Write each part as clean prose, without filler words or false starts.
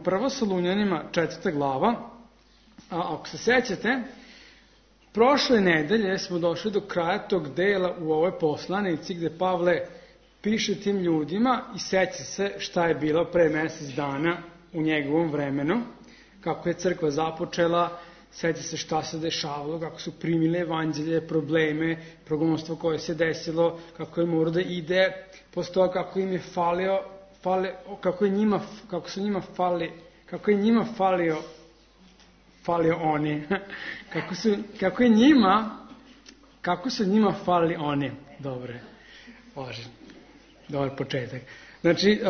Prvo Solunjanima 4. glava, a ako se sećate, prošle nedelje smo došli do kraja tog dela u ovoj poslanici gde Pavle piše tim ljudima i seća se šta je bilo pre mesec dana u njegovom vremenu, kako je crkva započela, seća se šta se dešavalo, kako su primile evanđelje, probleme, progonstvo koje se desilo, kako je morao da ide, posle toga kako im je falio, kako je njima falio oni, kako su njima falili oni. Dobar početak. Znači,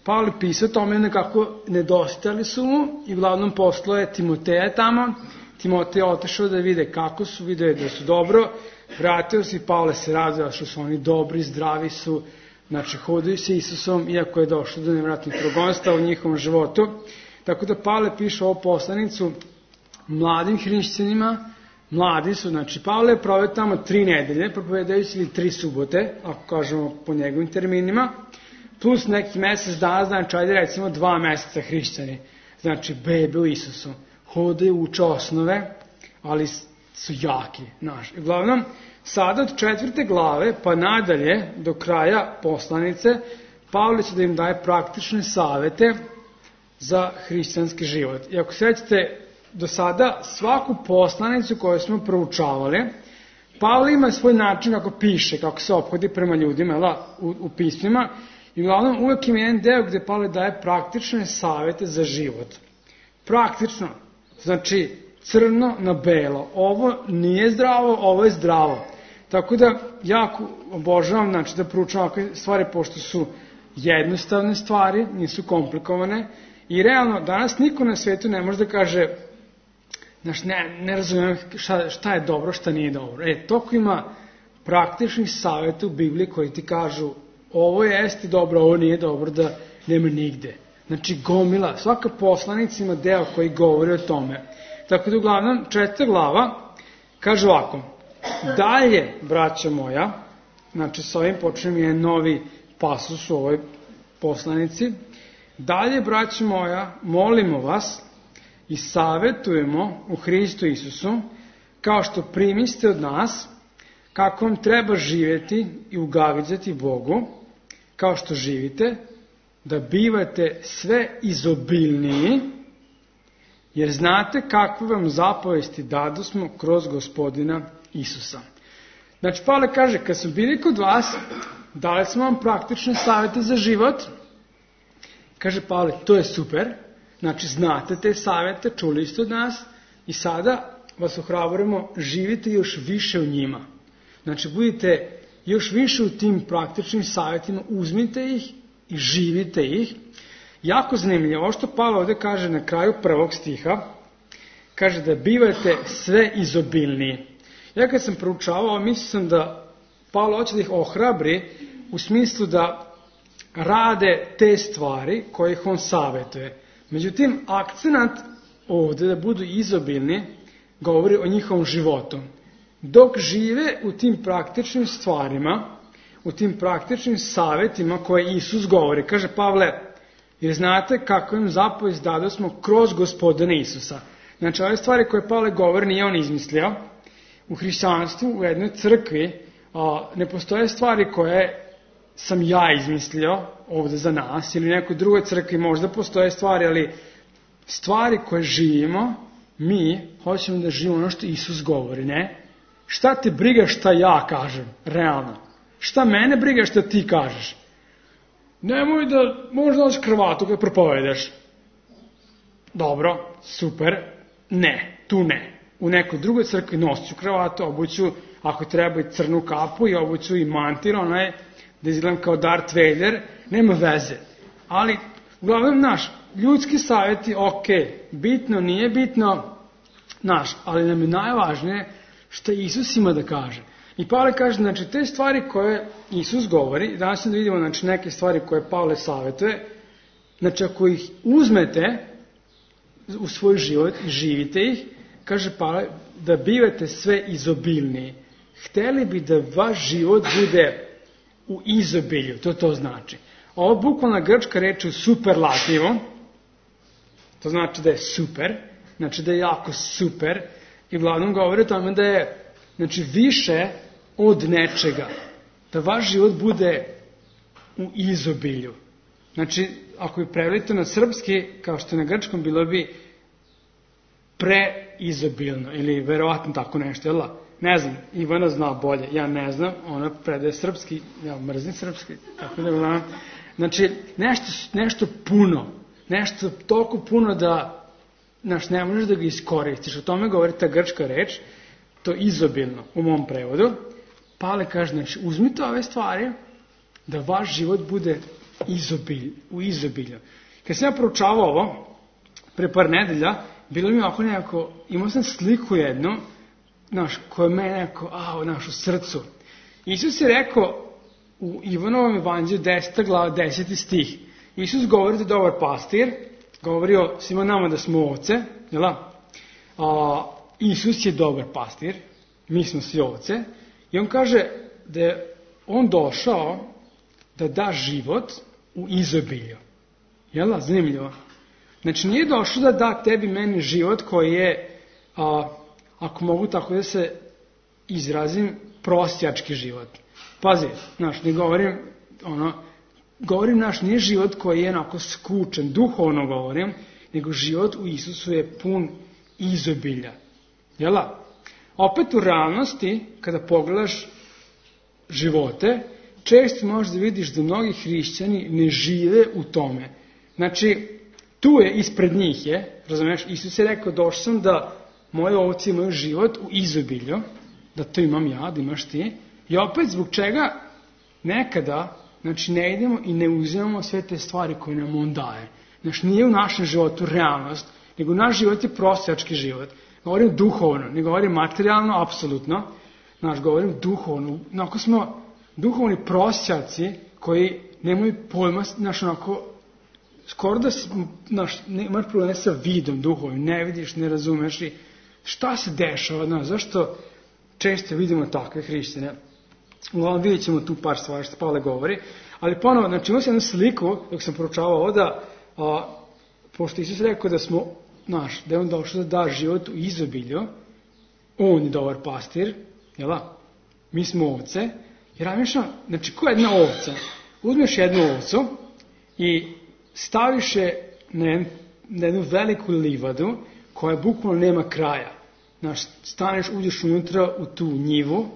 Pavle pisao tome kako nedostajali su mu i uglavnom poslao je Timoteja tamo. Timotej je otišao da vide kako su, video da su dobro, vratio se i Pavle se razvija što su oni dobri, zdravi su, znači hodaju se Isusom, iako je došlo do nevratnih progonstva u njihovom životu. Tako da Pavle piše ovu poslanicu mladim hrišćanima, mladi su, znači Pavle je proveo tamo 3 nedelje, propovedajući ili 3 subote, ako kažemo po njegovim terminima, plus neki mesec dana, znači ajde recimo 2 meseca hrišćani, znači bebe u Isusu, hodaju, uče osnove, ali su jaki, znaš. Uglavnom, sada od 4. glave pa nadalje do kraja poslanice, Pavle će da im daje praktične savete za hrišćanski život. I ako sećate, do sada svaku poslanicu koju smo proučavali, Pavle ima svoj način kako piše, kako se ophodi prema ljudima u pismima, i uglavnom uvek ima jedan deo gde Pavle daje praktične savete za život. Praktično, znači crno na belo, ovo nije zdravo, ovo je zdravo. Tako da jako obožavam, znači, da proučavam ovakve stvari, pošto su jednostavne stvari, nisu komplikovane, i realno danas niko na svetu ne može da kaže, znači, ne razumijem šta je dobro, šta nije dobro. Toliko ima praktičnih savjeta u Bibliji koji ti kažu ovo jeste dobro, ovo nije dobro, da nema nigde. Znači, gomila, svaka poslanica ima deo koji govori o tome. Tako da, uglavnom, 4. glava kaže ovako: dalje, braćo moja, znači s ovim počnem je novi pasus u ovoj poslanici, dalje, braćo moja, molimo vas i savetujemo u Hristu Isusu, kao što primiste od nas, kako vam treba živjeti i ugavidzati Bogu, kao što živite, da bivate sve izobilniji, jer znate kakve vam zapovesti dadosmo kroz Gospodina Isusa. Znači, Pavle kaže, kad smo bili kod vas, dali smo vam praktične savete za život. Kaže Pavle, to je super, znači znate te savete, čuli ste od nas, i sada vas ohrabrujemo, živite još više u njima. Znači, budite još više u tim praktičnim savjetima, uzmite ih i živite ih. Jako zanimljivo, ovo što Pavle ovdje kaže na kraju 1. stiha, kaže da bivate sve izobilniji. Ja kad sam proučavao, mislio sam da Pavle hoće da ih ohrabri u smislu da rade te stvari koje ih on savjetuje. Međutim, akcenat ovdje da budu izobilni govori o njihovom životu. Dok žive u tim praktičnim stvarima, u tim praktičnim savjetima koje Isus govori, kaže Pavle, jer znate kako im zapovest dadosmo kroz Gospodina Isusa. Znači, ove stvari koje Pavle govori nije on izmislio. U hrišćanstvu, u jednoj crkvi, ne postoje stvari koje sam ja izmislio ovdje za nas, ili u nekoj drugoj crkvi možda postoje stvari, ali stvari koje živimo, mi hoćemo da živimo ono što Isus govori, ne? Šta te briga šta ja kažem, realno? Šta mene briga šta ti kažeš? Nemoj da možda nosi kravatu kada propovedaš. Dobro, super, ne, tu ne. U nekoj drugoj crkvi nosit ću kravatu, obuću, ako treba, i crnu kapu, i obuću i mantir, onaj, da izgledam kao Darth Vader, nema veze. Ali, uglavnom, naš, ljudski savjeti, ok, bitno, nije bitno, naš, ali nam je najvažnije što Isus ima da kaže. I Pavle kaže, znači, te stvari koje Isus govori, danas ćemo da vidimo, znači, neke stvari koje Pavle savjetuje, znači, ako ih uzmete u svoj život i živite ih, kaže Pavle, da bivate sve izobilniji. Hteli bi da vaš život bude u izobilju, to znači. Ovo bukvalna grčka reč u superlativu, To znači da je super, znači da je jako super i uglavnom govori o tome da je znači, više od nečega. Da vaš život bude u izobilju. Znači, ako bi prevelite na srpski, kao što je na grčkom, bilo bi preizobilno ili verovatno tako nešto, jel da? Ne znam, Ivana zna bolje, ja ne znam, ona predaje srpski, ja mrzim srpski, tako da gledam. Znači, nešto puno, nešto toliko puno da ne možeš da ga iskoristiš. O tome govori ta grčka reč, to izobilno u mom prevodu. Pale kaže, znači, uzmite ove stvari da vaš život bude u izobilju. Kad sam ja proučavao ovo, pre par nedelja, bilo mi ovako nekako, imao sam sliku jednu, koja me nekako, u srcu. Isus je rekao u Ivanovom evanđelju 10. glava 10. stih. Isus govori da je dobar pastir, govori o svima nama da smo ovce, jel da? Isus je dobar pastir, mi smo svi ovce, i on kaže da je on došao da da život u izobilju. Jel da? Zanimljivo. Znači nije došao da da tebi meni život koji je, ako mogu tako da se izrazim, prosjački život. Pazi, ne govorim, govorim nije život koji je onako skučen, duhovno govorim, nego život u Isusu je pun izobilja. Jel da? Opet u realnosti, kada pogledaš živote, često možeš da vidiš da mnogi hrišćani ne žive u tome. Znači, tu je, ispred njih je, razumiješ, Isus je rekao, došao sam da moje ovce imaju život u izobilju, da to imam ja, da imaš ti, i opet zbog čega nekada, znači, ne idemo i ne uzimamo sve te stvari koje nam on daje. Znači, nije u našem životu realnost, nego naš život je prosjački život. Govorim duhovno, ne govorim materijalno, apsolutno, govorim duhovno. Onako smo duhovni prosjaci koji nemaju pojma, skoro da imaš probleme sa vidom duhovnim, ne vidiš, ne razumeš i šta se dešava, zašto često vidimo takve hrišćane. Uglavnom vidjet ćemo tu par stvari što Pavle govori, ali ponovo, znači imao sam jednu sliku dok sam proučavao ovo da, pošto Isus rekao da smo, da je on došao da da život u izobilju, on je dobar pastir, jel da? Mi smo ovce, jer razmišljam, znači ko je jedna ovca? Uzmeš jednu ovcu i staviš je na jednu veliku livadu koja bukvalno nema kraja. Staneš, uđeš unutra u tu njivu,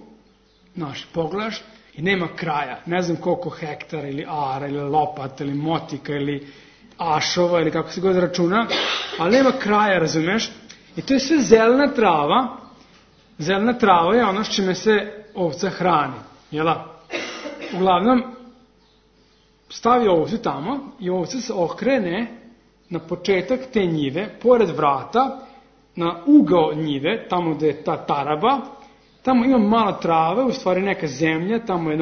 pogledaš i nema kraja. Ne znam koliko hektara ili ara ili lopata ili motika ili ašova ili kako se god računa, ali nema kraja, razumeš? I to je sve zelena trava. Zelena trava je ono s čime se ovca hrani. Jela? Uglavnom, stavi ovcu tamo i ovca se okrene na početak te njive, pored vrata, na ugao njive, tamo gde je ta taraba, tamo ima malo trave, u stvari neka zemlja, tamo je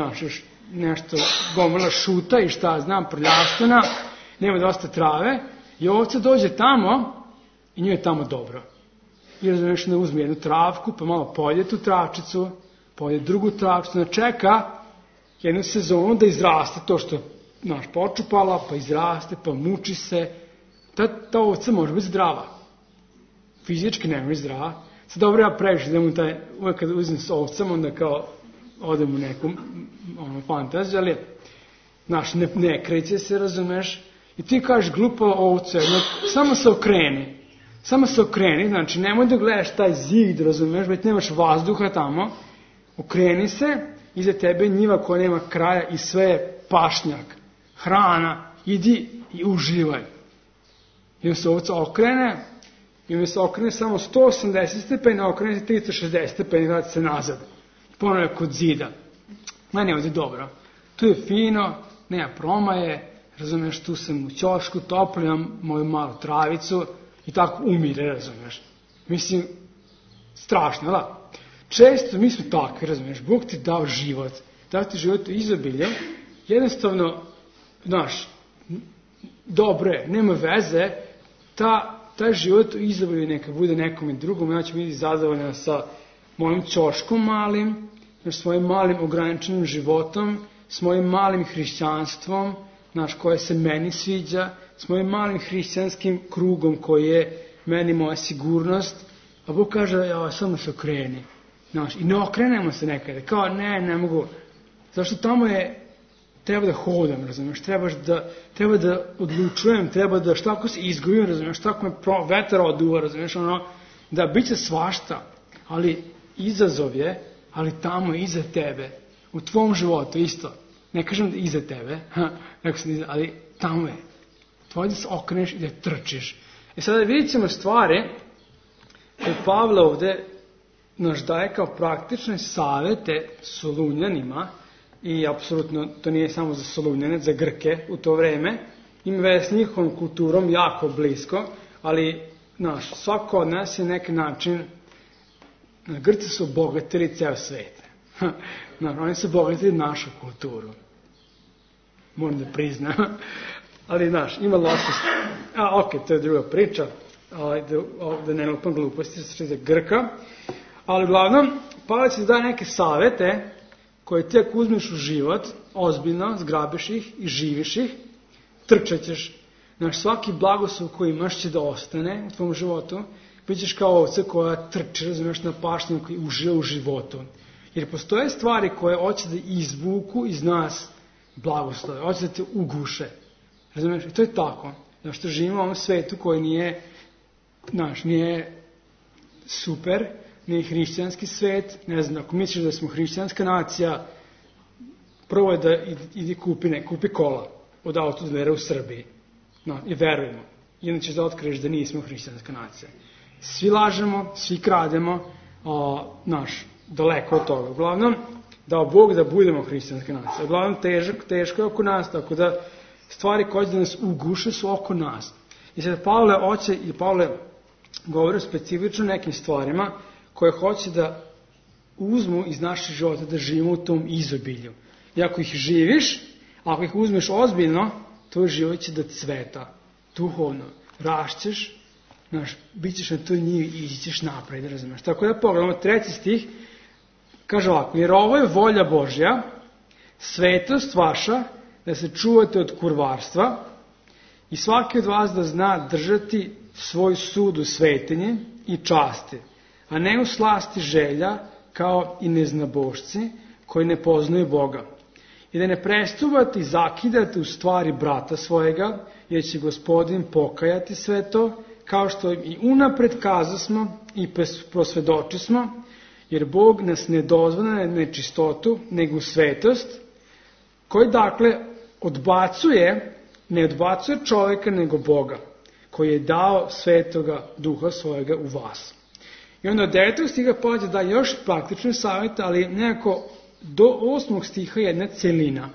nešto gomila šuta i šta znam, prljastana, nema dosta trave, i ovca dođe tamo i njoj je tamo dobro. I razumiješ da uzme jednu travku, pa malo polje tu travčicu, polje drugu travčicu, čeka jednu sezonu da izraste to što počupala, pa izraste, pa muči se. Ta ovca može biti zdrava. Fizički ne može zdrava. Sad dobro, ja previše idem uvek kada uzem s ovcem, onda kao odem u neku fantaziju, ali ne kreće se, razumeš, i ti kažeš glupa ovce, samo se okreni, znači nemoj da gledaš taj zid, razumeš, već nemaš vazduha tamo, okreni se, iza tebe njiva koja nema kraja i sve je pašnjak, hrana, idi i uživaj. I on se ovca okrene, i on se okrene samo 180 stepeni, okrene se 360 stepeni, vrati se nazad. Ponovno je kod zida. Meni je ovdje dobro. Tu je fino, nema promaje, razumiješ, tu sam u ćošku, toplijam moju malu travicu i tako umire, razumiješ. Mislim, strašno, da? Često mi smo takvi, razumiješ, Bog ti dao život, dao ti život u izobilje, jednostavno, dobro je, nema veze, taj život u izobilju neka bude nekome drugom, ja ću biti zadovoljna sa mojim ćoškom malim, s mojim malim ograničenim životom, s mojim malim hrišćanstvom, koje se meni sviđa, s mojim malim hrišćanskim krugom koji je meni moja sigurnost, a Bog kaže, ja, samo se okreni. I ne okrenemo se nekada, kao ne mogu. Zašto tamo treba da hodam, razumiješ, treba da odlučujem, treba da šta ako se izgubim, razumiješ, šta ako me vetar oduva, razumiješ, da bit će svašta, ali izazov je, ali tamo je iza tebe, u tvom životu isto, ne kažem da iza tebe, ali tamo je, tvoj da se okreneš i da trčiš. Sada vidjet ćemo stvari koje Pavle ovde naš daje kao praktične savete Solunjanima, i apsolutno to nije samo za Solunjane, za Grke u to vreme, ima veze s njihovom kulturom jako blisko, ali svako od nas je neki način, Grci su obogatili ceo svet. Oni su obogatili našu kulturu. Moram da priznam. Ali, ima loše. To je druga priča, da ne lupam gluposti, što je za Grka. Ali, uglavnom, Pavle će daje neke savete koje ti ako uzmeš u život, ozbiljno, zgrabiš ih i živiš ih, trčat ćeš. Svaki blagoslov koji imaš će da ostane u tvom životu, bit ćeš kao ovce koja trči, razumiješ, na pašnju koji uživa u životu. Jer postoje stvari koje hoće da izvuku iz nas blagoslove, hoće da te uguše. Razumiješ? I to je tako. Što živimo u ovom svetu koji nije super, nije hrišćanski svet, ne znam, ako misliš da smo hrišćanska nacija, prvo je da kupi kola od autodilera u Srbiji. I verujemo. Inače da otkriješ da nismo hrišćanska nacija. Svi lažemo, svi krademo, daleko od toga. Uglavnom, dao Bog da budemo hrišćanska nacija. Uglavnom, teško je oko nas, tako da stvari koje da nas uguše su oko nas. I sada Pavle govori specifično nekim stvarima koje hoće da uzmu iz naših života, da živimo u tom izobilju. I ako ih živiš, ako ih uzmeš ozbiljno, tvoj život će da cveta, duhovno, rašćeš, bit ćeš na toj njivi i ići ćeš napred, razumiješ. Tako da pogledamo 3. stih, kaže ovako, jer ovo je volja Božja, svetost vaša, da se čuvate od kurvarstva i svaki od vas da zna držati svoj sud u svetinji i časti, a ne u slasti želja kao i neznabošci koji ne poznaju Boga. I da ne prestupate i zakidate u stvari brata svojega, jer će Gospodin pokajati sve to, kao što i unapred kazasmo i prosvedočismo, jer Bog nas ne dozvoljava na nečistotu, nego u svetost, koji dakle ne odbacuje čovjeka nego Boga, koji je dao svetoga duha svojega u vas. I onda od 9. stiha pođe da još praktične savjete, ali nekako do 8. stiha je jedna celina.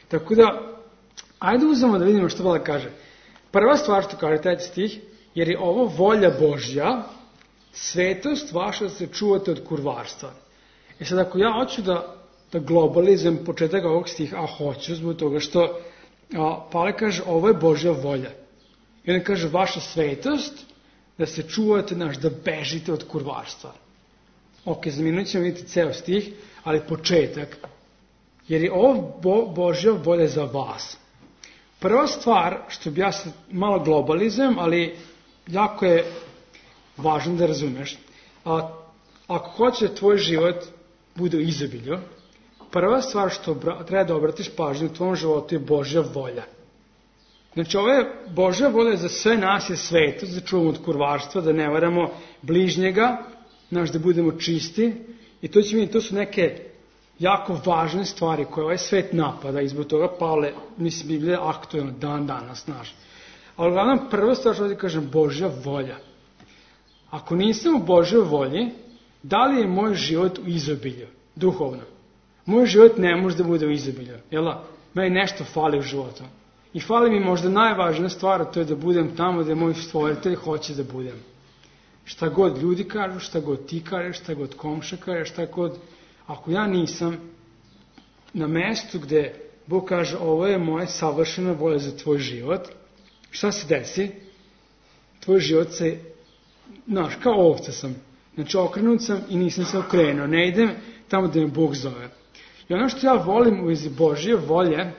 Tako da, ajde uzmemo da vidimo što Pavle kaže. Prva stvar što kaže 3. stih, jer je ovo volja Božja, svetost vaša da se čuvate od kurvarstva. I sad ako ja hoću da globalizujem početak ovog stiha, a hoću zbog toga što Pavle kaže ovo je Božja volja. I on kaže vaša svetost da se čuvate, da bežite od kurvarstva. Za minut ćemo vidjeti ceo stih, ali početak. Jer je ovo Božja volja za vas. Prva stvar, što bi ja sad malo globalizujem, ali jako je važno da razumeš. Ako hoće da tvoj život bude u izobilju, prva stvar što treba da obratiš pažnju u tvom životu je Božja volja. Znači, ovo je Božja volja za sve nas je svetost, da čuvamo od kurvarstva, da ne varamo bližnjega, da budemo čisti. I to su neke jako važne stvari koje ovaj svet napada i zbog toga Pavle, Biblija je aktuelna dan danas naš. Ali uglavnom, prva stvar što ovdje kažem, Božja volja. Ako nisam u Božjoj volji, da li je moj život u izobilju, duhovno? Moj život ne može da bude u izobilju, jel' meni nešto fali u životu. I fali mi možda najvažnija stvar, to je da budem tamo gdje moj stvoritelj hoće da budem. Šta god ljudi kažu, šta god ti kažeš, šta god komša kaže, šta god. Ako ja nisam na mestu gdje Bog kaže ovo je moja savršena volja za tvoj život, šta se desi? Tvoj život se, kao ovca sam. Znači okrenut sam i nisam se okrenuo. Ne idem tamo gdje me Bog zove. I ono što ja volim u vezi Božje volje,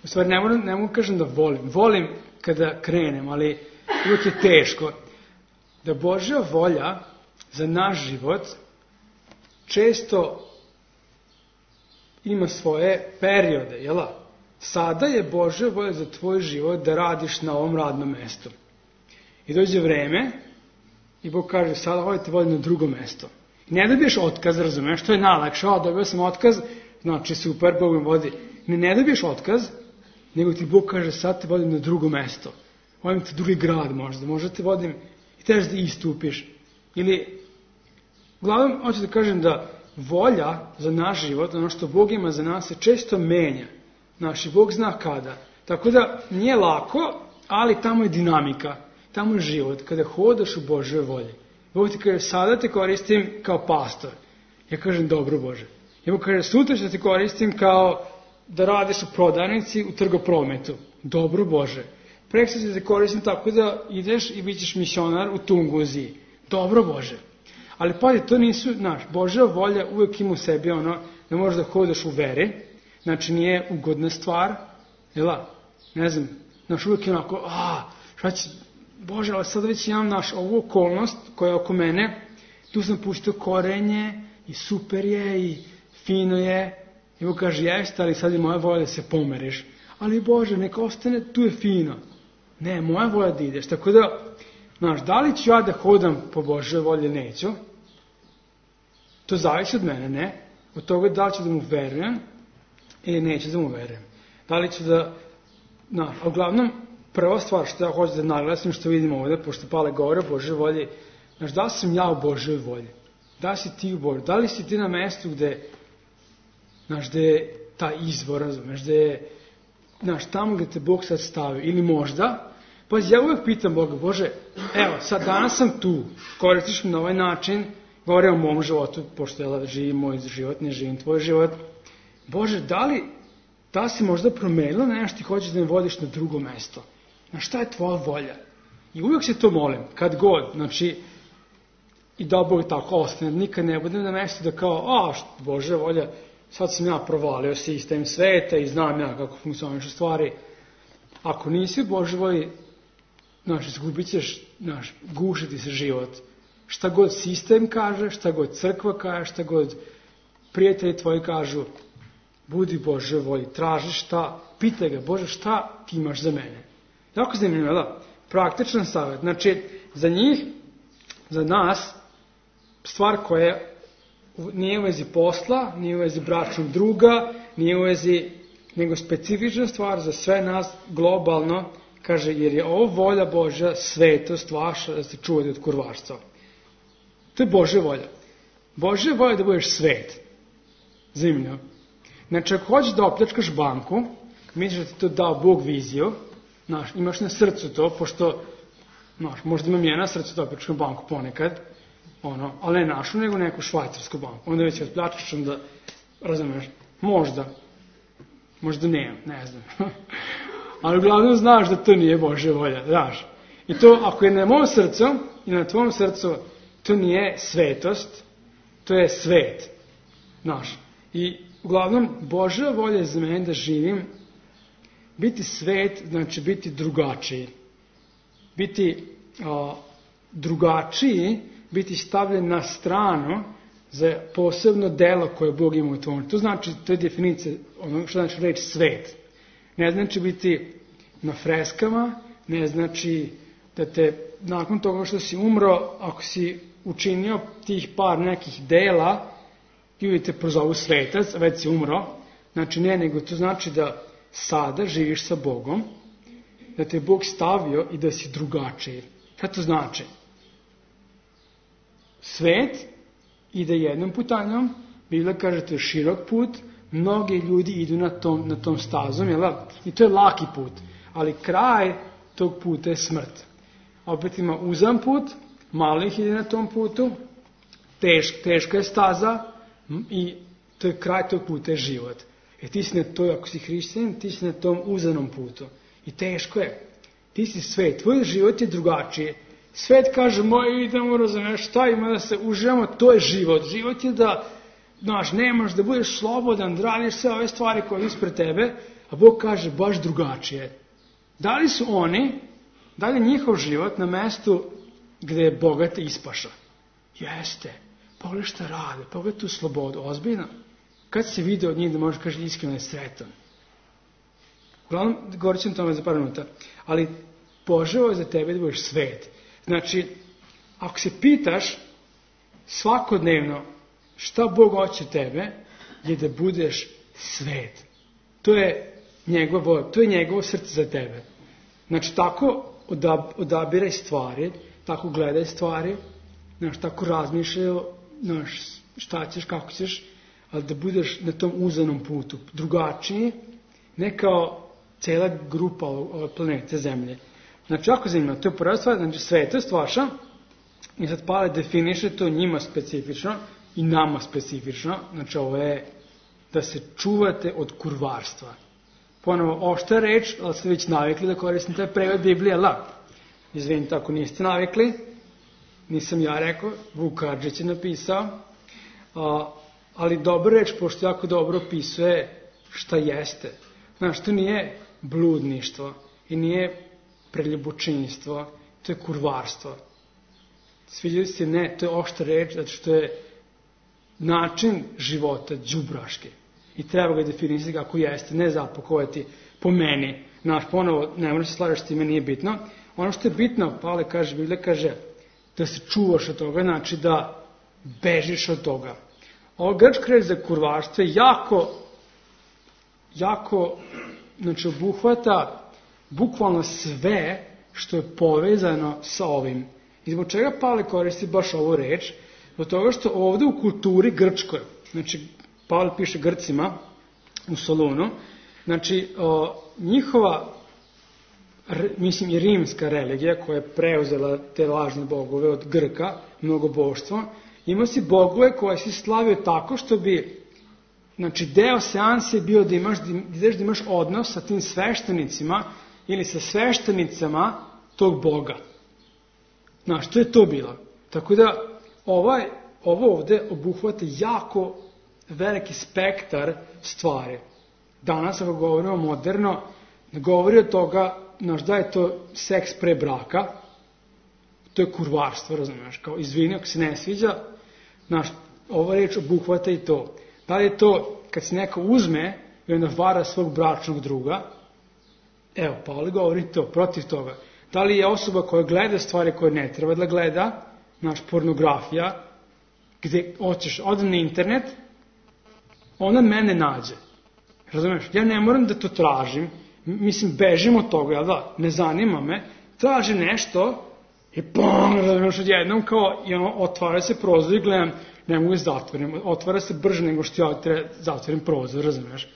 U stvari, ne mogu kažem da volim. Volim kada krenem, ali uvijek je teško. Da Božja volja za naš život često ima svoje periode, jel? Sada je Božja volja za tvoj život da radiš na ovom radnom mestu. I dođe vreme i Bog kaže, sada ovo te vodi na drugo mesto. Ne dobiješ otkaz, razumeš, to je najlakše. Dobio sam otkaz, znači super, Bog me vodi. Ne dobiješ otkaz, nego ti Bog kaže, sad te vodim na drugo mesto. Vodim te drugi grad možda te vodim i trebaš da istupiš. Ili, uglavnom, hoću da kažem da volja za naš život, ono što Bog ima za nas, se često menja. Naš Bog zna kada. Tako da nije lako, ali tamo je dinamika, tamo je život, kada hodaš u Božjoj volji. Bog ti kaže, sada te koristim kao pastor. Ja kažem, dobro Bože. Ja mu kaže, sutra ću te koristim kao da radiš u prodavnici, u trgoprometu. Dobro Bože. Preksutra ću te koristim tako da ideš i bit ćeš misionar u Tunguziji. Dobro Bože. Ali pazi, to nisu, Božja volja uvijek ima u sebi ono da možeš da hodaš u veri. Znači nije ugodna stvar. Ne znam, uvijek je onako, šta će, Bože, ali sad već imam ovu okolnost koja je oko mene, tu sam pustio korenje i super je i fino je. I Bog kaže, jeste, ali sad je moja volja da se pomeriš. Ali Bože, neka ostane, tu je fino. Ne, moja volja da ideš. Tako da, da li ću ja da hodam po Božoj volji ili neću? To zavisi od mene, ne? Od toga da li ću da mu verujem ili neću da mu verujem. Da li ću da... uglavnom, prva stvar što ja hoću da naglasim, što vidimo ovdje, pošto Pale govore o Božoj volji, da li sam ja u Božoj volji? Da li si ti u Božoj? Da li si ti na mestu gde je ta izvor, razumeš, gde je, tamo gde te Bog sad stavio, ili možda, pa ja uvijek pitam Boga, Bože, evo, sad danas sam tu, koristiš me na ovaj način, govore o mom životu, pošto ja živim moj život, ne živim tvoj život. Bože, da si možda promenila nešto ti hoćeš da me vodiš na drugo mesto? Šta je tvoja volja? I uvijek se to molim, kad god, i da Bog tako ostane, nikad ne budem na mjestu da kao, Bože volja, sad sam ja provalio sistem sveta i znam ja kako funkcionišu stvari. Ako nisi u Božoj volji, izgubit ćeš, gušiti se život. Šta god sistem kaže, šta god crkva kaže, šta god prijatelji tvoji kažu, budi Božoj volji, traži šta, pitaj ga, Bože, šta ti imaš za mene? Jako zanimljivo, da? Praktičan savjet. Znači, za njih, za nas, stvar koja nije u vezi posla, nije u vezi bračnog druga, nije u vezi, nego specifična stvar za sve nas globalno, kaže, jer je ovo volja Božja, svetost vaša, da se čuvate od kurvarstva. To je Božja volja. Božja volja je da budeš svet. Zanimljivo. Znači, ako hoćeš da opljačkaš banku, misliš da ti to dao Bog viziju, imaš na srcu to, pošto, možda imam ja na srcu da opljačkam banku ponekad, ali ne našu, nego neku švajcarsku banku. Onda već odpljačkaš, onda, razumeš, možda ne znam. Ali uglavnom znaš da to nije Božja volja, znaš. I to, ako je na mom srcu i na tvom srcu, to nije svetost, to je svet, znaš. I uglavnom, Božja volja je za mene da živim. Biti svet znači biti drugačiji. Biti drugačiji, biti stavljen na stranu za posebno delo koje Bog ima u tvom. To znači, to je definicija ono što znači reći svet. Ne znači biti na freskama, ne znači da te nakon toga što si umro, ako si učinio tih par nekih dela, ili te prozovu svetac, a već si umro, znači ne, nego to znači da sada živiš sa Bogom, da te Bog stavio i da si drugačiji. Šta to znači? Svet ide jednom putanjom, Biblia kaže to je širok put, mnogi ljudi idu na tom stazom, i to je laki put, ali kraj tog puta je smrt. Opet ima uzan put, malo ih ide na tom putu, teška je staza, i to je kraj tog puta je život. Ti si na toj, ako si hrišćanin, ti si na tom uzanom putu. I teško je. Ti si svet, tvoj život je drugačiji. Svet kaže, idemo, razumiješ, šta ima da se uživamo, to je život. Život je da, nemaš da budeš slobodan, da radiš sve ove stvari koje ispred tebe, a Bog kaže baš drugačije. Da li je njihov život na mestu gde je bogat i ispaša? Jeste. Pogledaj šta rade, pogledaj tu slobodu, ozbiljno. Kad se vide od njih da možeš kaži iskreno je sretan. Uglavnom, govorit ću o tome za par minuta. Ali poželeo je za tebe da budeš svet. Znači, ako se pitaš svakodnevno šta Bog hoće tebe, je da budeš svet. To je njegovo srce za tebe. Znači, tako odabiraj stvari, tako gledaj stvari, tako razmišljaj šta ćeš, kako ćeš, ali da budeš na tom uzanom putu, drugačiji, ne kao cela grupa planete Zemlje. Znači, ako zanimljivo, to je prva stvar, znači svetost vaša, i sad Pavle definiše to njima specifično i nama specifično, znači ovo je da se čuvate od kurvarstva. Ponovo, ošta reč, ali ste već navikli da koristim taj prevod Biblije, izvinite ako niste navikli, nisam ja rekao, Vuk Karadžić je napisao, ali dobra reč, pošto jako dobro opisuje šta jeste. Znaš, to nije bludništvo i nije preljubočinstvo, to je kurvarstvo. Sviđali se, ne, to je ošta reč, zato što je način života đubraški. I treba ga definisati kako jeste, ne zapakovati po meni. Znaš, ponovo, ne možeš se slažeš s time, nije bitno. Ono što je bitno, Pavle kaže, Biblija kaže, da se čuvaš od toga, znači da bežiš od toga. Ovo grčka reč za kurvarstvo je jako, znači obuhvata bukvalno sve što je povezano sa ovim. I zbog čega Pavle koristi baš ovu reč? Zbog toga što ovde u kulturi grčkoj, znači Pavle piše Grcima u Solunu, znači njihova, mislim i rimska religija koja je preuzela te lažne bogove od Grka, mnogoboštvo, ima si bogove koje si slavio tako što bi, znači deo seanse je bio da imaš odnos sa tim sveštenicima ili sa sveštenicama tog boga. Znaš, to je to bilo. Tako da ovo ovde obuhvata jako veliki spektar stvari. Danas, ako govorimo moderno, ne govori od toga, znaš, da je to seks pre braka, to je kurvarstvo, razumiješ, kao izvini ako se ne sviđa, znaš, ova reč obuhvata i to. Da li je to kad se neko uzme i onda vara svog bračnog druga, evo, Pavle govori to, protiv toga. Da li je osoba koja gleda stvari koje ne treba da gleda, znaš, pornografija, gde ode na internet, ona mene nađe. Razumiješ? Ja ne moram da to tražim, mislim, bežim od toga, jel da? Ne zanima me, traži nešto i pom, razumiješ, odjednom kao, i ono, otvara se prozor i gledam, ne mogu zatvorim, otvara se brže nego što ja zatvorim prozor, razumiješ?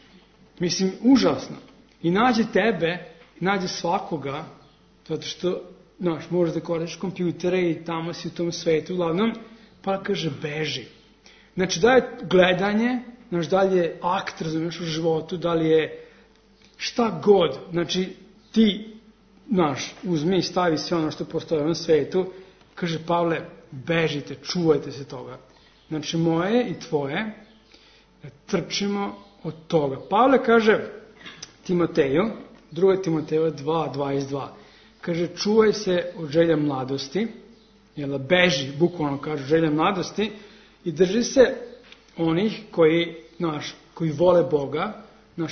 Mislim, užasno. I nađe tebe, i nađe svakoga, zato što, znaš, možeš da koristiš kompjutere i tamo si u tom svetu, uglavnom, pa kaže, beži. Znači, da je gledanje, znaš, da li je akt, razumiješ, u životu, da li je šta god, znači, ti, znaš, uzmi i stavi sve ono što postoje na svetu, kaže Pavle, bežite, čuvajte se toga. Znači, moje i tvoje, trčimo od toga. Pavle kaže Timoteju, 2. Timoteja 2:22, kaže, čuvaj se od želja mladosti, jel, beži, bukvalno kaže, želja mladosti, i drži se onih koji vole Boga,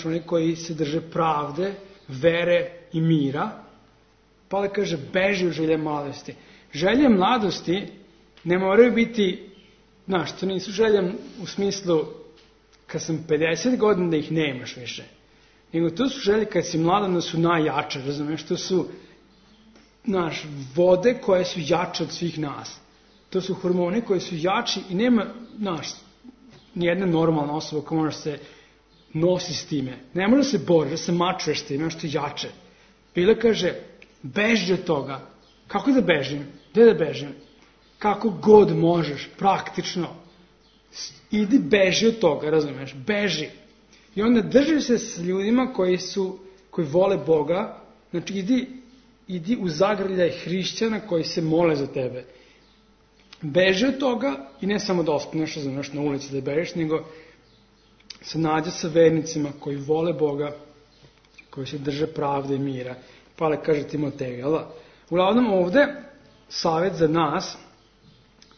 oni koji se drže pravde, vere i mira. Pavle kaže, beži od želja mladosti. Želje mladosti ne moraju biti, to nisu želje u smislu kad sam 50 godina da ih nemaš više. Nego to su želje kad si mladan da su najjače, razumiješ, to su vode koje su jače od svih nas. To su hormoni koji su jači i nema, nijedna normalna osoba koja može se nosi s time. Ne može se boriti, da se mačuješ s time, što je jače. Bile kaže, beži od toga. Kako da bežim? Gde da bežim? Kako god možeš, praktično. Idi beži od toga, razumiješ? Beži. I onda drži se s ljudima koji vole Boga, znači idi u zagrljaj hrišćana koji se mole za tebe. Beži od toga i ne samo da ostaneš, razumiješ, na ulici da bežiš, nego se nađe sa vernicima koji vole Boga koji se drže pravde i mira. Pavle kaže Timoteju, jel da? Uglavnom ovde savjet za nas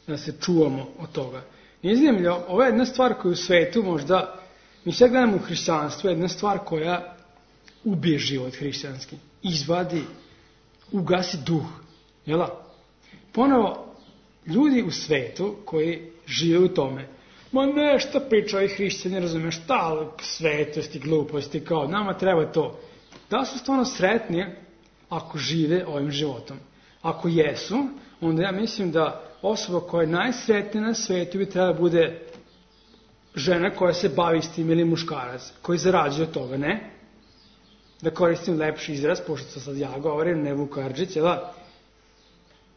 da se čuvamo od toga. Nije zanimljivo, ovo je jedna stvar koju u svetu možda, mi sve gledamo u hrišćanstvu, jedna stvar koja ubije život hrišćanski, izvadi, ugasi duh, jel da? Ponovo, ljudi u svetu koji žive u tome, ma nešto priča ovi hrišćani, razumiješ, šta svetosti, gluposti, kao nama treba to. Da su stvarno sretni ako žive ovim životom? Ako jesu, onda ja mislim da osoba koja je najsretnija na svetu bi trebala bude žena koja se bavi s tim ili muškarac, koji zarađuje od toga, ne? Da koristim lepši izraz, pošto sam sad ja govorim, ne Vuk Karadžić,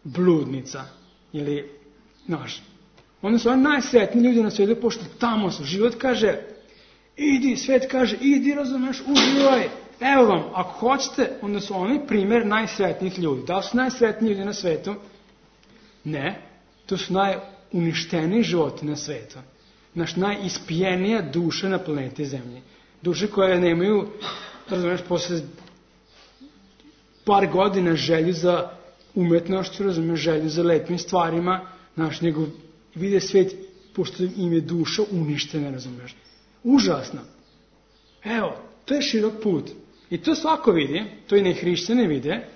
bludnica ili, znaš, onda su oni najsretniji ljudi na svijetu, pošto tamo su. Život kaže, idi, svet kaže, idi, razumeš, uživaj. Evo vam, ako hoćete, onda su oni primjer najsretnijih ljudi. Da li su najsretniji ljudi na svetu? Ne. To su najuništeniji životi na svetu. Naš najispijenija duša na planeti Zemlji. Duše koje nemaju, razumeš, posle par godina želju za umetnošću, razumeš, želju za lepim stvarima, znaš, nego vide svet, pošto im je duša uništena, razumeš. Užasno. Evo, to je širok put. I to svako vidi, to i nehrišćani vide,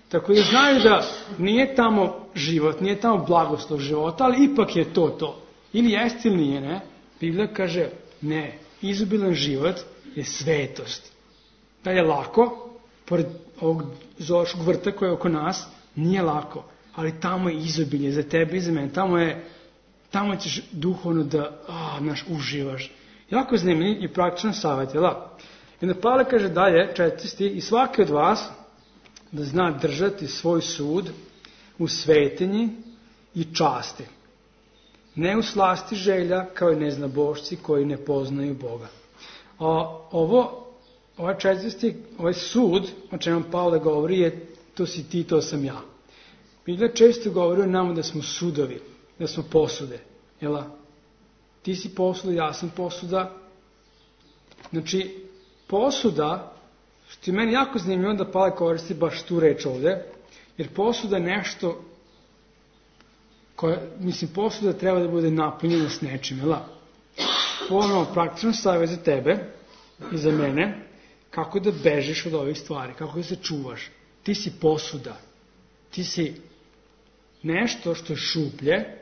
tako da znaju da nije tamo život, nije tamo blagoslov života, ali ipak je to. Ili jeste ili nije, ne? Biblija kaže, ne, izobilan život je svetost. Da je lako, pored ovog zoološkog vrta koje je oko nas, nije lako, ali tamo je izobilje za tebe i za mene, tamo ćeš duhovno da, uživaš. Jako zanimljiv i praktičan savjet, jel da? I onda Pavle kaže dalje, 4. stih, i svaki od vas da zna držati svoj sud u svetinji i časti. Ne u slasti želja kao i neznabošci koji ne poznaju Boga. Ovaj 4. stih, ovaj sud, o čemu Pavle govori, je to si ti, to sam ja. Biblija često govori o nama da smo sudovi, da smo posude. Jel? Ti si posuda, ja sam posuda. Znači, posuda, što je meni jako zanimljivo da Pavle koristi baš tu reč ovde, jer posuda je nešto, posuda treba da bude napunjena s nečim, jel? Ponovno praktično savjet za tebe i za mene, kako da bežiš od ovih stvari, kako da se čuvaš. Ti si posuda, ti si nešto što je šuplje,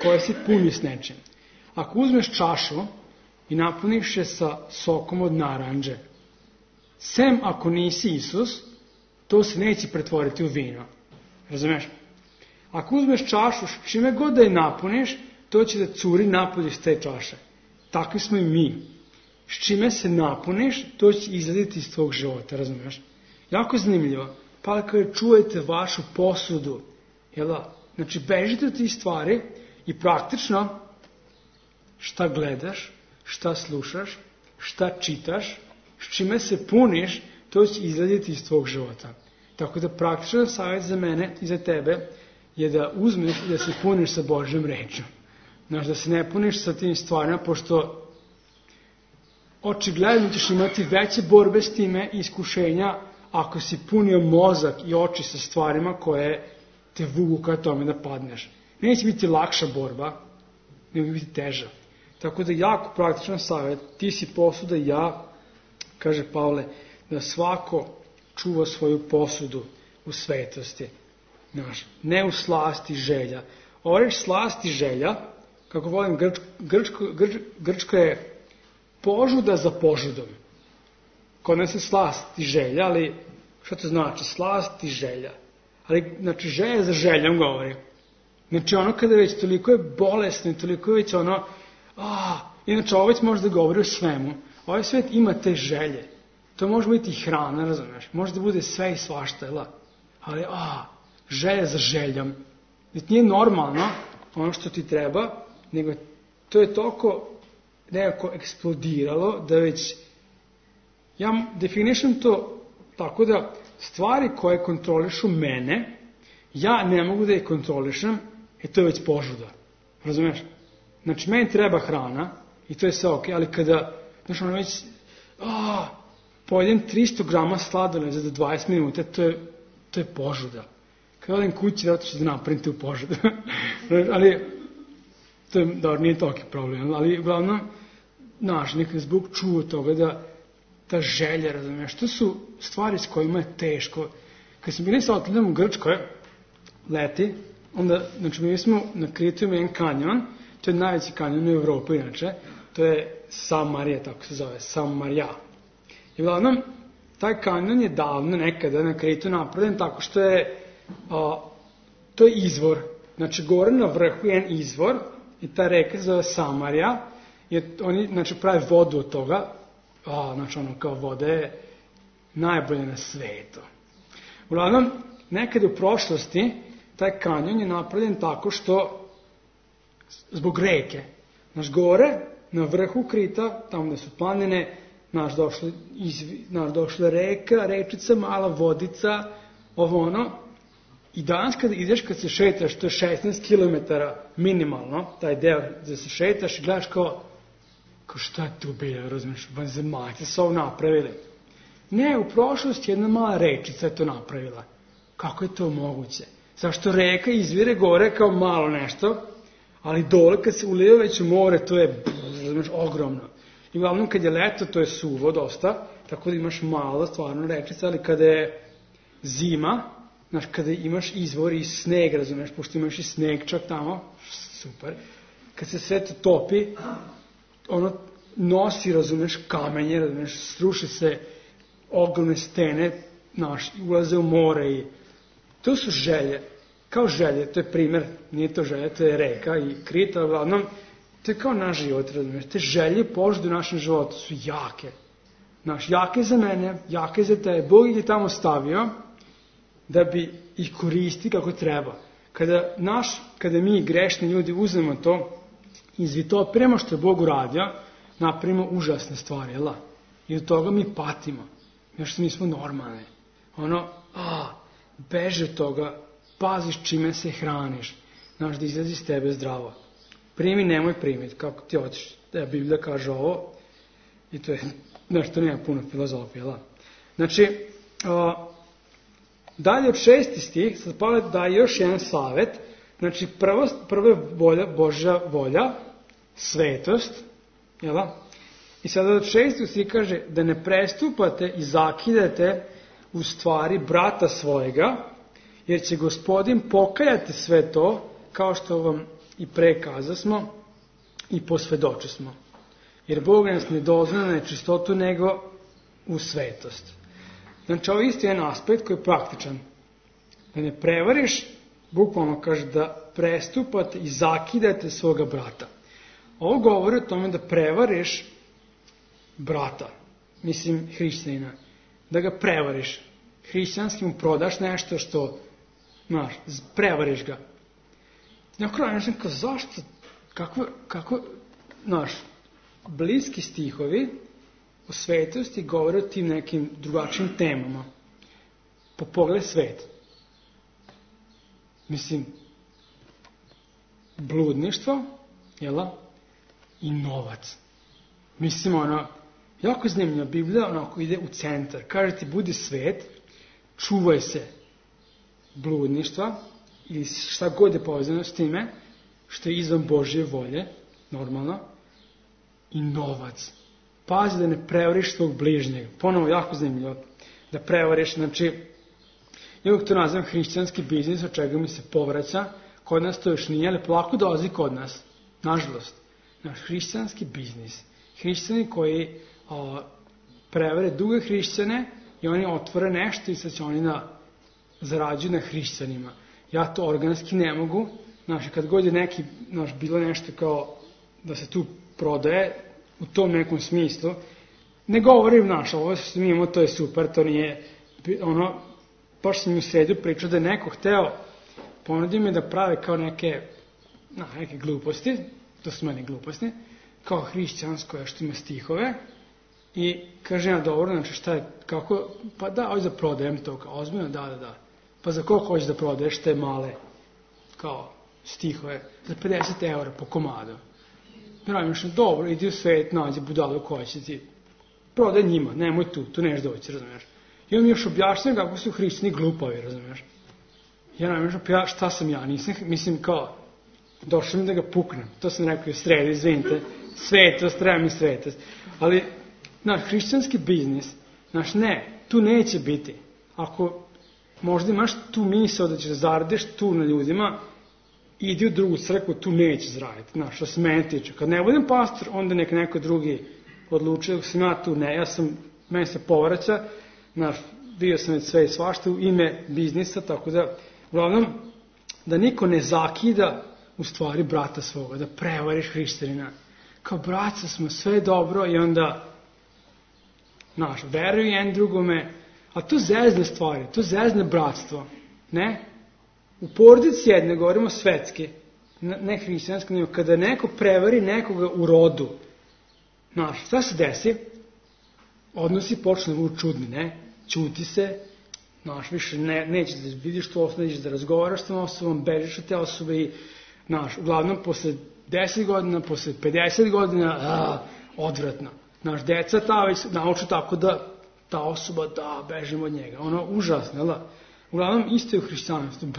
koje se puni s nečim. Ako uzmeš čašu i napuniš je sa sokom od naranđe, sem ako nisi Isus, to se neće pretvoriti u vino. Razumeš? Ako uzmeš čašu, čime god da je napuniš, to će da curi napolje iz te čaše. Takvi smo i mi. S čime se napuniš, to će izgledati iz tvog života, razumeš? Jako zanimljivo. Pa kada čujete vašu posudu, jel da? Znači, bežite od tih stvari i praktično šta gledaš, šta slušaš, šta čitaš, s čime se puniš, to će izgledati iz tvog života. Tako da praktičan savjet za mene i za tebe je da uzmeš i da se puniš sa Božjom rečom. Znaš, da se ne puniš sa tim stvarima, pošto očigledno ćeš imati veće borbe s time i iskušenja ako si punio mozak i oči sa stvarima koje te vuku ka tome da padneš. Neće biti lakša borba, nego biti teža. Tako da jako praktičan savjet, ti si posuda, ja, kaže Pavle, da svako čuva svoju posudu u svetosti. Znaš, ne u slasti želja. Ovo reč slasti želja, kako volim, grčko je požuda za požudom. Kod nas je slast i želja, ali što to znači? Slast i želja. Ali, znači, želja za željom govori. Znači, ono kada već toliko je bolesno i toliko je već ono, inače, ovo već može da govori o svemu. Ovaj svet ima te želje. To može biti i hrana, razumiješ? Može da bude sve i svašta, jel? Ali, želja za željom. Znači, nije normalno ono što ti treba, nego to je toliko nekako eksplodiralo da već, ja definišem to tako da stvari koje kontrolišu mene, ja ne mogu da ih kontrolišem, to je već požuda. Razumiješ? Znači, meni treba hrana i to je sve ok, ali kada, znaš, ono već, pojedem 300 grama sladoleda za 20 minuta, to je požuda. Kada odem kući, vjerojatno ću da napravim tu požudu. Ali, to je, dobro, nije toliki problem, ali uglavnom, nekada zbog čuo toga da ta želja, razumiješ, to su stvari s kojima je teško. Kad smo bili sa oteljom u Grčkoj, leti, onda, znači, bili smo na Kritu jedan kanjon, to je najveći kanjon u Evropi, inače, to je Samarija, tako se zove, Samarija. I uglavnom, taj kanjon je davno nekada na Kritu napravljen tako što je, to je izvor. Znači, gore na vrhu je jedan izvor i ta reka se zove Samarija, i oni, znači, prave vodu od toga, znači, ono, kao voda je najbolje na svetu. Uglavnom, nekada u prošlosti, taj kanjon je napravljen tako što, zbog reke, znači, gore, na vrhu Krita, tamo gde su planine, došla reka, rečica, mala vodica, ovo ono. I danas kada ideš, kad se šetaš, to je 16 km minimalno, taj deo gde se šetaš i gledaš kao šta je tu bilo, razumiješ, vanzemaljci su ovo napravili. Ne, u prošlosti jedna mala rečica je to napravila. Kako je to moguće? Zašto reka izvire gore kao malo nešto, ali dole kad se ulije već u more, to je, razumiješ, ogromno. I uglavnom kad je leto, to je suvo dosta, tako da imaš malo stvarno rečica, ali kada je zima, znaš, kada imaš izvor i sneg, razumiješ, pošto imaš i sneg čak tamo, super, kad se sve to topi, ono nosi, razumiješ, kamenje, razumiješ, sruši se ogromne stene, znaš, ulaze u more i to su želje, kao želje, to je primer, nije to želje, to je reka i Krita, uglavnom, to je kao naš život, razumiješ, te želje požude u našem životu su jake, znaš, jake za mene, jake za tebe, Bog ih je tamo stavio, da bi ih koristi kako treba. Kada mi grešni ljudi uzmemo to, izvitopiramo što je Bog uradio, napravimo užasne stvari, jel da? I od toga mi patimo. Još mi smo normalni. Beži od toga, paziš čime se hraniš, znaš da izlazi iz tebe zdravo. Primi, nemoj primiti, kako ti hoćeš. Da Biblija kaže ovo, i to je, znaš, to nema puno filozofije, jel da? Znači, dalje od 6. stih, sad Pavle daje još jedan savjet, znači prvo je Božja volja, svetost, jel da? I sada od 6. stih kaže da ne prestupate i zakidate u stvari brata svojega, jer će Gospodin pokajati sve to, kao što vam i prekaza smo i posvedoči smo. Jer Bog nas ne dozna na nečistotu, nego u svetost. Znači, ovo isto je jedan aspekt koji je praktičan. Da ne prevariš, bukvalno kaže da prestupate i zakidate svoga brata. Ovo govori o tome da prevariš brata, mislim hrišćanina, da ga prevariš. Hrišćanski mu prodaš nešto što, znaš, prevariš ga. Na kraju nešto kao, zašto, kako, znaš, bliski stihovi u svetosti govore o tim nekim drugačijim temama. Po pogled svet. Mislim, bludništvo, jela, i novac. Mislim, jako zanimljiva Biblija, onako ide u centar. Kaže ti, budi svet, čuvaj se bludništva, ili šta god je povezano s time, što je izvan Božje volje, normalno, i novac. Pazi da ne prevariš svog bližnjeg. Ponovo, jako zanimljivo. Da prevariš, znači, ja uvijek to nazvam hrišćanski biznis, od čega mi se povraća. Kod nas to još nije, ali polako dolazi kod nas. Nažalost. Naš hrišćanski biznis. Hrišćani koji prevare druge hrišćane i oni otvore nešto i sad će oni zarađuju na hrišćanima. Ja to organski ne mogu. Znači, kad god je neki, bilo nešto kao da se tu prodaje, u tom nekom smislu, ne govorim, ovo što mi imamo, to je super, to nije, baš sam mi u sredu pričao da je neko hteo, ponudio mi da prave kao neke gluposti, to su meni gluposti, kao hrišćansko, što ima stihove, i kaže ja, dobro, znači šta je, kako, pa da, hoćeš da prodajem to, kao ozbiljno, da, pa za koliko hoćeš da prodaješ te male, kao stihove, za 50 € po komadu. Dobro, idi u svet, nađi budalu koja će ti prodaj njima, nemoj tu neš doći, razumiješ. I on mi još objašnjava kako su hrišćani glupavi, razumiješ. Ja ne možem, šta sam ja, nisam, mislim kao, došao mi da ga puknem, to sam rekao u sredi, izvinite, svetost, treba mi svetost. Ali, naš hrišćanski biznis, ne, tu neće biti. Ako možda imaš tu misao da ćeš zaradiš tu na ljudima, idi u drugu crkvu, tu neće zaraditi. Što se mene tiče. Kad ne budem pastor, onda neko drugi odlučuje, dok sam ja tu, ne, meni se povraća, bio sam već sve i svašta u ime biznisa, tako da, uglavnom, da niko ne zakida u stvari brata svoga, da prevariš hrišćanina. Kao braca smo, sve dobro i onda, veruju jedan drugome, a to zezne stvari, to zezne bratstvo, ne? U porodici jedne, govorimo svetski, ne hrišćanski, nego kada neko prevari nekoga u rodu, šta se desi? Odnosi počne da budu čudni, ne? Ćuti se, više nećeš da vidiš tu osobu, nećeš da razgovaraš s tom osobom, bežiš od te osobe i, uglavnom, posle 10 godina, posle 50 godina, odvratno. Deca ta već nauču tako da ta osoba, bežimo od njega. Užasno, jel da? Uglavnom, isto je u hrišćanstvu,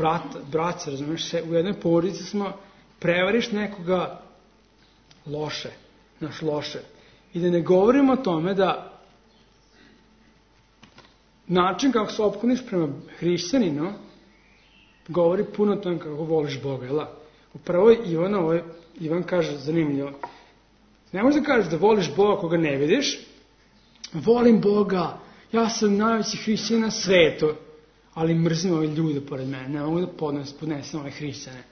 braća, razumiješ, u jednoj porodici smo, prevariš nekoga loše, loše. I da ne govorimo o tome da način kako se ophodniš prema hrišćaninu govori puno o tome kako voliš Boga, jel da? Upravo Ivan kaže, zanimljivo, ne možeš da kažeš da voliš Boga koga ne vidiš, volim Boga, ja sam najveći hrišćanin na svetu, ali mrzim ove ljude pored mene, ne mogu da podnesem ove hrišćane.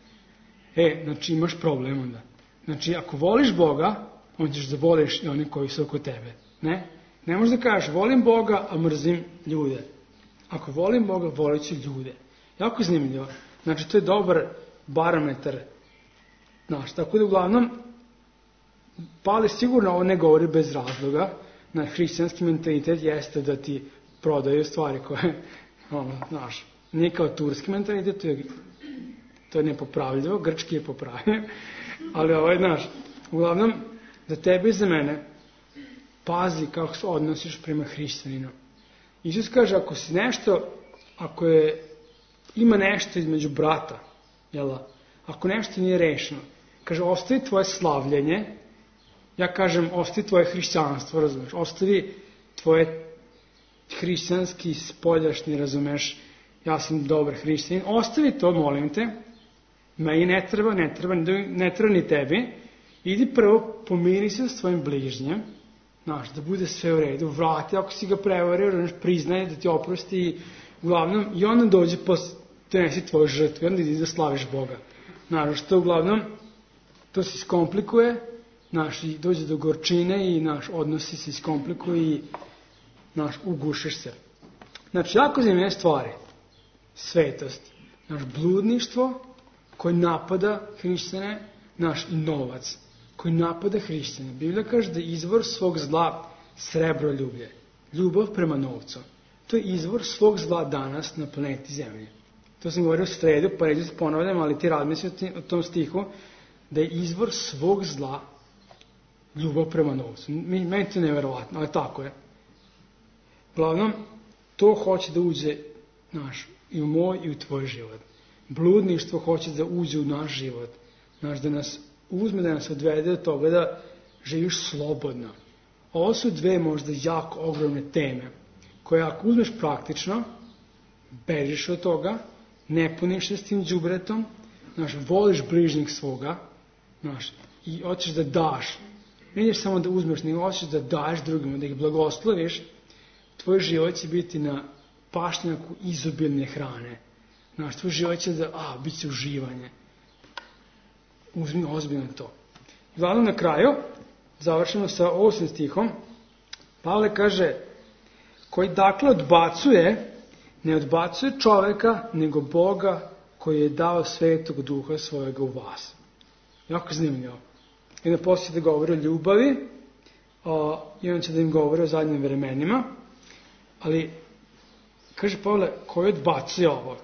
Imaš problem onda. Ako voliš Boga, onda ćeš da voliš i one koji su oko tebe. Ne možeš da kažeš, volim Boga, a mrzim ljude. Ako volim Boga, volit ću ljude. Jako zanimljivo. To je dobar barometar. Tako da uglavnom, Pavle sigurno ovo ne govori bez razloga. Hrišćanski mentalitet jeste da ti prodaju stvari koje, nije kao turski mentalitet, to je nepopravljivo, grčki je popravljivo, ali uglavnom, za tebe i za mene, pazi kako se odnosiš prema hrišćaninu. Isus kaže, ako ima nešto između brata, ako nešto nije rešeno, kaže, ostavi tvoje slavljenje, ja kažem, ostavi tvoje hrišćanstvo, razumeš, ostavi tvoje hrišćanski spoljašnji, razumeš, ja sam dobar hrišćanin, ostavi to, molim te, meni ne treba ni tebi, idi prvo pomiri se s tvojim bližnjem, da bude sve u redu, vrati ako si ga prevario, priznaje da ti oprosti, uglavnom, i onda dođe donesi tvoju žrtvu, i onda idi da slaviš Boga. Što uglavnom, to se iskomplikuje, i dođe do gorčine i odnosi se iskomplikuje i ugušiš se. Jako zanimljive stvari. Svetost. Bludništvo koje napada hrišćane, i novac koji napada hrišćane. Biblija kaže da je izvor svog zla srebroljublje. Ljubav prema novcu. To je izvor svog zla danas na planeti Zemlji. To sam govorio u sredu, pa neću se ponavljam, ali ti razmisli o tom stihu, da je izvor svog zla ljubav prema novcu. Meni to je neverovatno, ali tako je. Uglavnom, to hoće da uđe i u moj i u tvoj život. Bludništvo hoće da uđe u naš život. Da nas uzme, da nas odvede do toga da živiš slobodno. Ovo su dve možda jako ogromne teme, koje ako uzmeš praktično, bežiš od toga, ne puniš se s tim đubretom, voliš bližnjeg svoga, i hoćeš da daš. Ne ideš samo da uzmeš, nego hoćeš da daješ drugima, da ih blagosloviš, tvoj život će biti na pašnjaku izobilne hrane. Tvoj život će da, bit će uživanje. Uzmi ozbiljno to. Uglavnom na kraju, završeno sa 8. stihom, Pavle kaže, koji dakle odbacuje, ne odbacuje čoveka, nego Boga koji je dao svetog duha svojega u vas. Jako zanimljivo. I onda poslije da govori o ljubavi, i on će da im govori o zadnjim vremenima, ali, kaže Pavle, koji odbacuje ovo?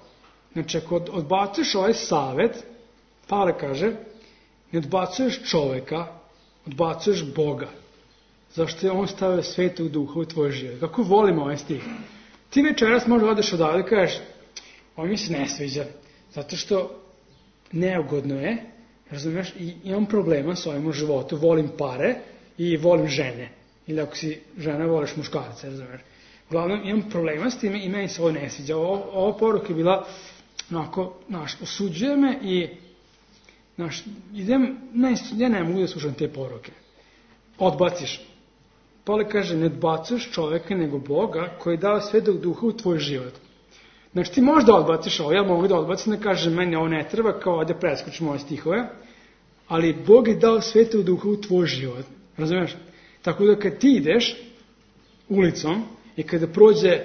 Ako odbacuješ ovaj savet, Pavle kaže, ne odbacuješ čoveka, odbacuješ Boga. Zašto je on stavio Svetog Duha u tvoj život? Kako volimo ovaj stih? Ti večeras možda odeš odavde i kažeš, ovo mi se ne sviđa, zato što neugodno je, razumiješ, i imam problema s ovim u životu, volim pare i volim žene. Ili ako si žena, voliš muškarce, razumiješ. Uglavnom, imam problema s time i meni se ovo ne sviđa. Ova poruka je bila, onako, osuđuje me i, ja ne mogu da slušam te poruke. Odbaciš. Pavle kaže, ne odbacuješ čoveka nego Boga koji je dao Svetog Duha u tvoj život. Znači ti možda odbaciš ovo, ja mogu da odbacim da kažem meni ovo ne treba, kao da preskočim ove stihove, ali Bog je dao Svetog Duha u tvoj život. Razumiješ? Tako da kad ti ideš ulicom i kada prođe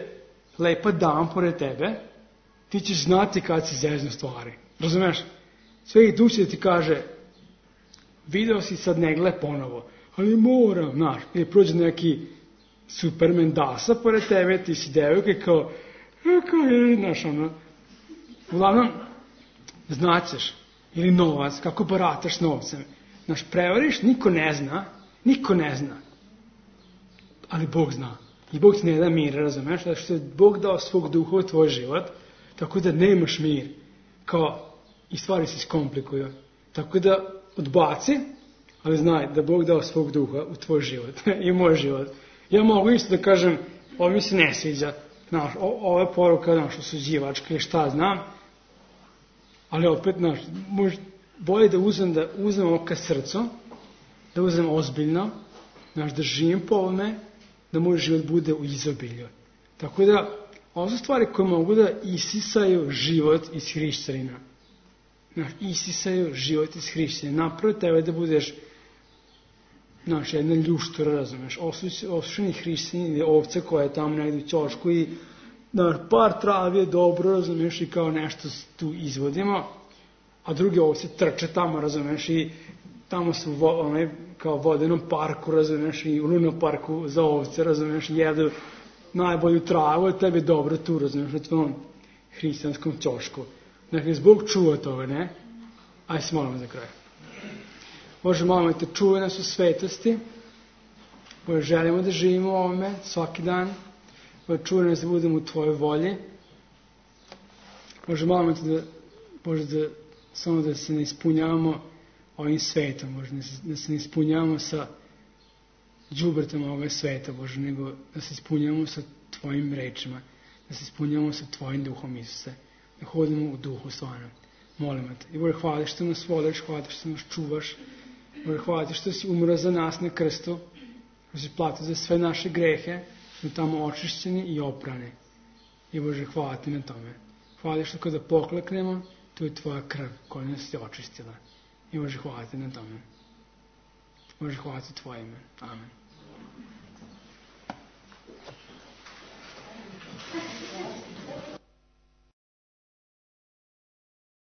lepa dama pored tebe, ti ćeš znati kad si zezno stvari. Razumiješ? Sveti Duh će da ti kaže, video si sad ne gle ponovo, ali moram, znaš, ili prođe neki Superman dasa pored tebe, ti si devojka i kao je, znaš, ono, uglavnom, znaćeš, ili novac, kako barataš novcem. Znaš, prevariš, niko ne zna, ali Bog zna. I Bog ti ne da mir, razumeš, da što je Bog dao svog Duha u tvoj život, tako da nemaš mir, kao, i stvari se iskomplikuju. Tako da odbaci, ali znaj da Bog dao svog Duha u tvoj život i u moj život. Ja mogu isto da kažem, ovo mi se ne sviđa, znaš, ovo je poruka, znaš, osuđivačka i šta znam, ali opet, znaš, bolje da uzmem ovo ka srcu, da uzmem ozbiljno, znaš, da živim po ovome, da moj život bude u izobilju. Tako da, ovo su stvari koje mogu da isisaju život iz hrišćanina. Znaš, isisaju život iz hrišćanina. Napravo tebe da budeš, znaš, jedna ljuštura, razumeš, osušeni hrišćanin ili ovca koja je tamo negdje u ćošku i, znaš, par travi je dobro, razumeš, i kao nešto tu izvodimo, a druge ovce trče tamo, razumeš, i tamo su kao vodenom parku, razumeš, i u lunom parku za ovce, razumeš, jedu najbolju travu, a tebi dobro tu, razumeš, na tvojom hrišćanskom ćošku. Dakle, Bog čuva toga, ne? Ajde se molimo za kraj. Bože, molimo te, čuvaj nas u svetosti. Bože, želimo da živimo u ovome svaki dan. Bože, čuvaj nas da budemo u tvojoj volji. Bože, molimo te da samo da se ne ispunjavamo ovim svetom, Bože, da se ne ispunjavamo sa đubretom ovog sveta, Bože, nego da se ispunjavamo sa tvojim rečima, da se ispunjavamo sa tvojim duhom, Isuse, da hodimo u duhu stvarno. Molimo te. I Bože, hvala što nas voliš, hvala što nas čuvaš, Bože, hvala što si umro za nas na krstu, što si platio za sve naše grehe, smo tamo očišćeni i oprani. I Bože, hvala ti na tome. Hvala što kada pokleknemo, tu je tvoja krv koja nas je očistila. I Bože, hvala ti na tome. Bože, hvala ti tvoje ime. Amen.